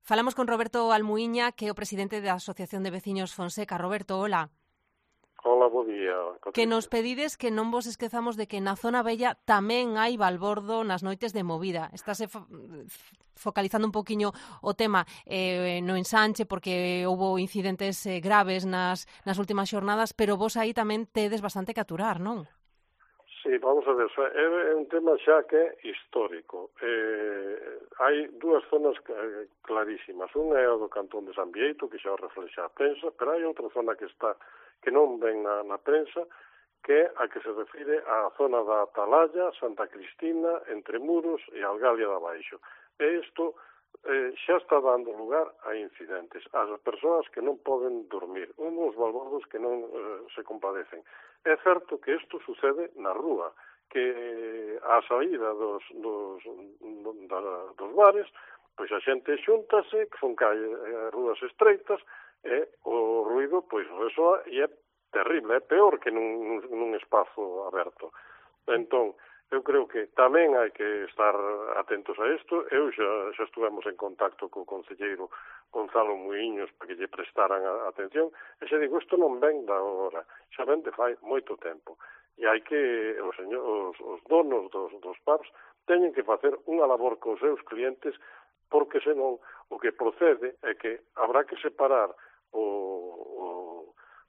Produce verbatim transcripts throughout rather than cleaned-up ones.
Falamos con Roberto Almuíña, que é o presidente da Asociación de Veciños Fonseca. Roberto, hola. Hola, bo día. Que nos pedides que non vos esquezamos de que na zona bella tamén hai balbordo nas noites de movida. Estáse fo focalizando un poquiño o tema eh, no ensanche, porque houve incidentes eh, graves nas, nas últimas xornadas, pero vos aí tamén tedes bastante que aturar, non? Sí, vamos a ver, é un tema xa que é histórico. Eh, hai dúas zonas clarísimas. Unha é o do cantón de San Bieito, que xa o reflexa a prensa, pero hai outra zona que está que non ven na, na prensa, que é a que se refire á zona da Atalaya, Santa Cristina, Entre Muros e Algalia da Baixo. E isto eh, xa está dando lugar a incidentes. As persoas que non poden dormir, uns balbordos que non eh, se compadecen. É certo que isto sucede na rúa, que a saída dos, dos, da, dos bares, pois a xente xúntase, que son calle, eh, rúas estreitas, e o ruido, pois, eso é terrible, é peor que nun, nun espazo aberto. Entón, eu creo que tamén hai que estar atentos a isto. Eu xa, xa estuvemos en contacto co concelleiro Gonzalo Muiños para que lle prestaran a atención, e xa digo, isto non ven da hora, xa ven de fai moito tempo. E hai que, os, señor, os, os donos dos, dos pubs teñen que facer unha labor cos seus clientes, porque senón o que procede é que habrá que separar o, o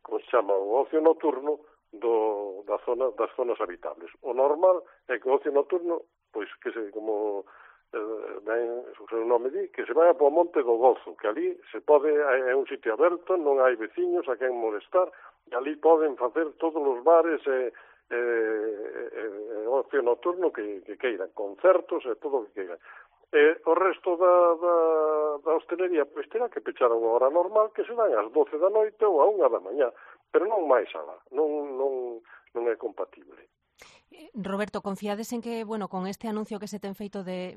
como se chama, o ocio nocturno do, da zona, das zonas habitables. O normal é que o ocio nocturno, pois que se, como eh, ben, o seu nome di, que se vaya po Monte do Gozo, que ali se pode, é un sitio aberto, non hai veciños a quen molestar, e ali poden facer todos os bares e eh, eh, eh, ocio nocturno que, que queiran, concertos e todo o que queiran. E o resto da, da, da hostelería, pois terá que pechar a unha hora normal, que serán ás doce da noite ou a unha da mañá, pero non máis alá, non, non, non é compatible. Roberto, confiades en que, bueno, con este anuncio que se ten feito de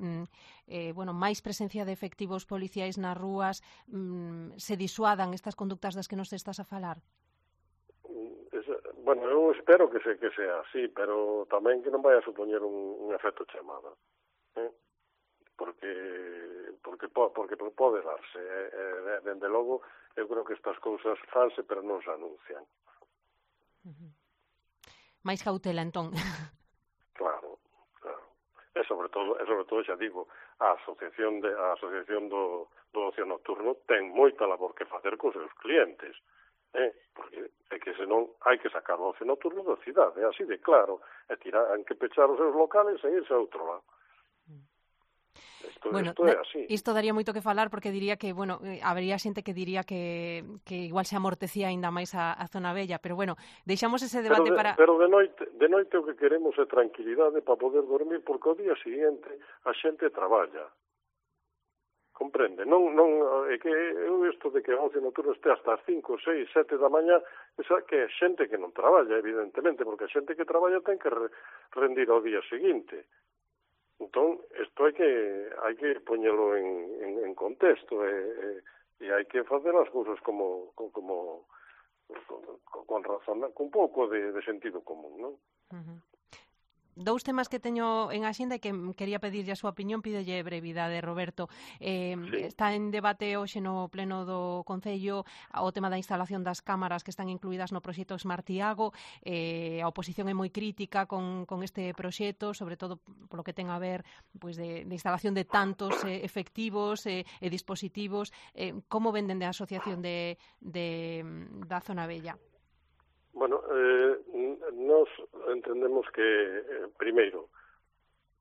eh, bueno, máis presencia de efectivos policiais nas rúas, mm, se disuadan estas conductas das que nos estás a falar? Bueno, eu espero que, se, que sea así, pero tamén que non vai a supoñer un, un efecto chamada. Eh? porque porque porque pode darse, eh, dende logo eu creo que estas cousas fanse pero non se anuncian. Uh-huh. Mais cautela, entón. Claro, claro. E sobre todo, e sobre todo xa digo, a asociación de a asociación do do ocio nocturno ten moita labor que facer cos seus clientes, eh, porque é que senón hai que sacar o ocio nocturno da cidade, é así de claro, e tirar, han que pechar os seus locales e irse a outro lado. Isto, bueno, isto é así. Isto daría moito que falar, porque diría que, bueno, eh, habería xente que diría que, que igual se amortecía aínda máis a, a zona bella, pero bueno, deixamos ese debate pero de, para... Pero de noite, de noite o que queremos é tranquilidade para poder dormir, porque o día seguinte a xente traballa. Comprende? Non, non, é que eu isto de que o ocio nocturno este hasta as cinco, seis, sete da mañá, esa que é xente que non traballa, evidentemente, porque a xente que traballa ten que re, rendir ao día seguinte. Entón, isto hai que hai que poñelo en, en, en contexto e, e, e hai que facer as cousas como como con, con razón, con un pouco de, de sentido común, non? Uh-huh. Dous temas que teño en axenda e que quería pedirlle a súa opinión, pídelle brevidade, Roberto. Eh, sí. Está en debate hoxe no pleno do Concello o tema da instalación das cámaras que están incluídas no proxecto Smartiago. Eh, a oposición é moi crítica con, con este proxecto, sobre todo polo que ten a ver pois, de, de instalación de tantos eh, efectivos e eh, eh, dispositivos. Eh, como venden de asociación de, de, da Zona Bella? Bueno, eh, nos entendemos que, eh, primeiro,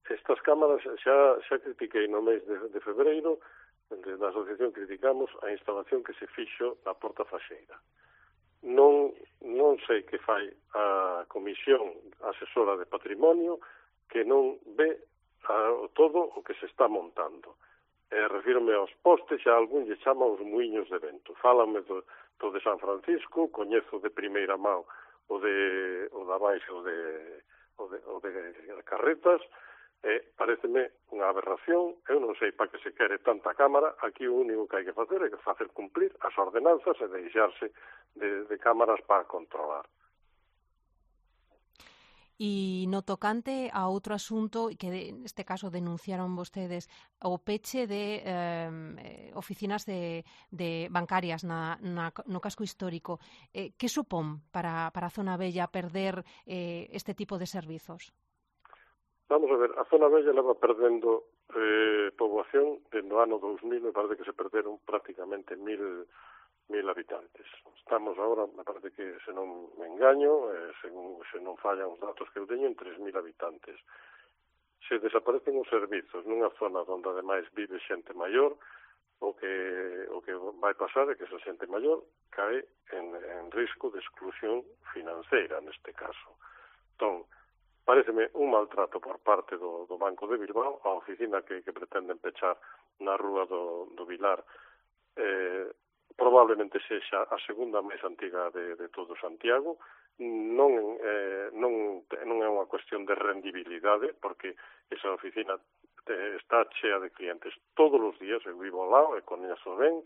estas cámaras xa, xa critiquei no mes de, de febreiro, da asociación criticamos a instalación que se fixo na Porta Faxeira. Non, non sei que fai a Comisión Asesora de Patrimonio que non ve a, todo o que se está montando. Eh, refírome aos postes, xa algún lle chama os muiños de vento. Fálame do do de San Francisco, coñezo de primeira mão o de o da baixo de o de, o de Carretas, e pareceme unha aberración. Eu non sei para que se quere tanta cámara. Aquí o único que hai que facer é que facer cumplir as ordenanzas e deixarse de, de cámaras para controlar. E no tocante a outro asunto que neste caso denunciaron vostedes, o peche de eh, oficinas de, de bancarias na, na, no casco histórico. Eh, que supón para, para a Zona Vella perder eh, este tipo de servizos? Vamos a ver, a Zona Vella leva perdendo eh, poboación dende o ano dous mil, me parece que se perderon prácticamente mil mil habitantes. Estamos agora, me parece que, se non me engaño, eh, según se non fallan os datos que eu teño, en tres mil habitantes. Se desaparecen os servizos nunha zona onde ademais vive xente maior, o que o que vai pasar é que esa xente maior cae en, en risco de exclusión financeira, neste caso. Entón, pareceme un maltrato por parte do, do Banco de Bilbao, a oficina que, que pretenden pechar na rúa do, do Vilar, eh, probablemente sexa a segunda máis antiga de, de todo Santiago. Non, eh, non, non é unha cuestión de rendibilidade, porque esa oficina eh, está chea de clientes todos os días, eu vivo ao lado e coñezo ben,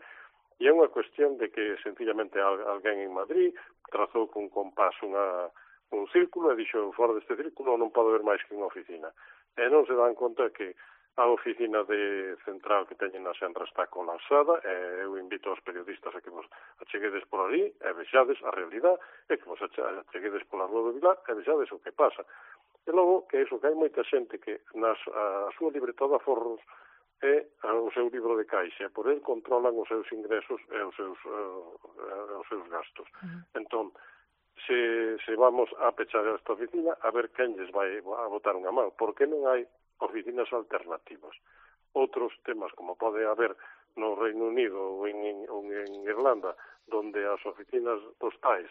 e é unha cuestión de que sencillamente alguén en Madrid trazou con compás unha, un círculo e dixo, fora deste círculo non pode haber máis que unha oficina. E non se dan conta que a oficina de central que teñen na Senra está colapsada, e eu invito aos periodistas a que vos acheguedes por ali e vexades a realidade, e que vos acheguedes pola rúa do Vilar e vexades o que pasa. E logo, que iso, que hai moita xente que nas, a súa libreta de aforros é o seu libro de caixa, por el controlan os seus ingresos e os seus, uh, os seus gastos. Uh-huh. Entón, se, se vamos a pechar esta oficina, a ver quen lles vai a botar unha mão, porque non hai oficinas alternativas. Outros temas, como pode haber no Reino Unido ou en, en, ou en Irlanda, donde as oficinas postais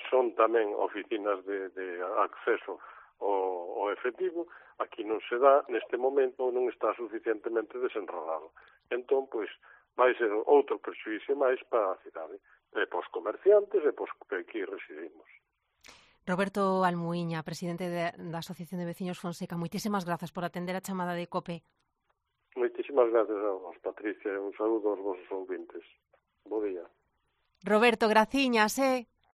son tamén oficinas de, de acceso ao, ao efectivo, aquí non se dá, neste momento non está suficientemente desenrolado. Entón, pois, vai ser outro perxuízo máis para a cidade, e pos comerciantes e pos que aquí residimos. Roberto Almuíña, presidente da Asociación de Veciños Fonseca, moitísimas grazas por atender a chamada de COPE. Moitísimas gracias a vos, Patricia, e un saúdo aos vosos ouvintes. Bo día. Roberto, graciñas, eh?